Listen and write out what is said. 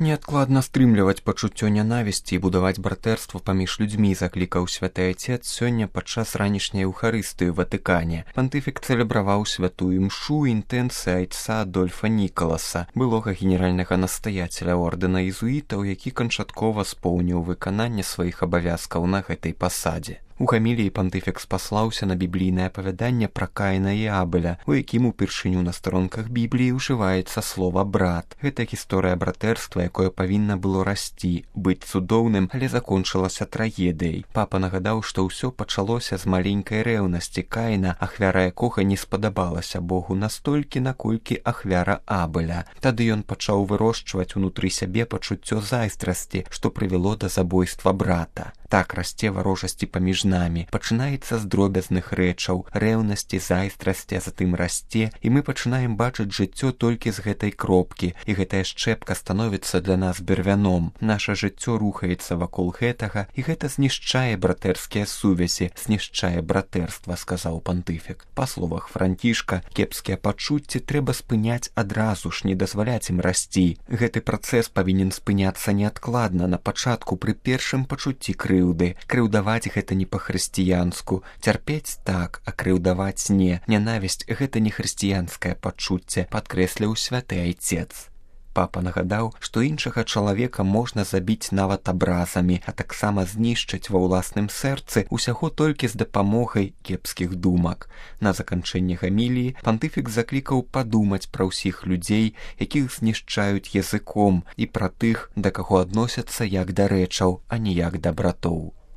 Неадкладна стрымліваць пачуццё нянавісці і будаваць братэрства паміж людзьмі, заклікаў святы айцец сёння падчас ранішняй эўхарыстыі ў Ватыкане. Пантыфік цэлебраваў святую імшу інтэнцыі айца Адольфа Нікаласа, былога генеральнага настаяцеля ордэна езуітаў, які канчаткова споўніў выкананне сваіх абавязкаў на гэтай пасадзе. У гаміліі пантыфік спаслаўся на біблійнае апавяданне пра Каіна і Абеля, у якім упершыню на старонках Бібліі ўжываецца слова «брат». Гэта гісторыя братэрства, якое павінна было расці, быць цудоўным, але закончылася трагедыяй. Папа нагадаў, што ўсё пачалося з маленькай рэўнасці Каіна, ахвяра якога не спадабалася Богу настолькі, наколькі ахвяра Абеля. Тады ён пачаў вырошчваць унутры сябе пачуццё зайздрасці, што прывяло да забойства брата. Так расце варожасці паміж намі, пачынаецца з дробязных рэчаў, рэўнасці, зайздрасці, а затым расце, і мы пачынаем бачыць жыццё толькі з гэтай кропкі, і гэтая шчэпка становіцца для нас бервяном. Наша жыццё рухаецца вакол гэтага, і гэта знішчае братэрскія сувязі, знішчае братэрства, сказаў пантыфік. Па словах Францішка, кепскія пачуцці трэба спыняць адразу ж, не дазваляць ім расці. Гэты працэс павінен спыняцца неадкладна, на пачатку пры першым пачуцці крыўды. Крыўдаваць гэта не па-хрысціянску, цярпець так, а крыўдаваць не. Нянавісць гэта не хрысціянскае пачуцце, падкрэсліў святы айцец. Папа нагадаў, што іншага чалавека можна забіць нават абразамі, а таксама знішчыць ва ўласным сэрцы усяго толькі з дапамогай кепскіх думак. На заканчэнне гаміліі пантыфік заклікаў падумаць пра ўсіх людзей, якіх знішчаюць языком, і пра тых, да каго адносяцца як да рэчаў, а не як да братоў.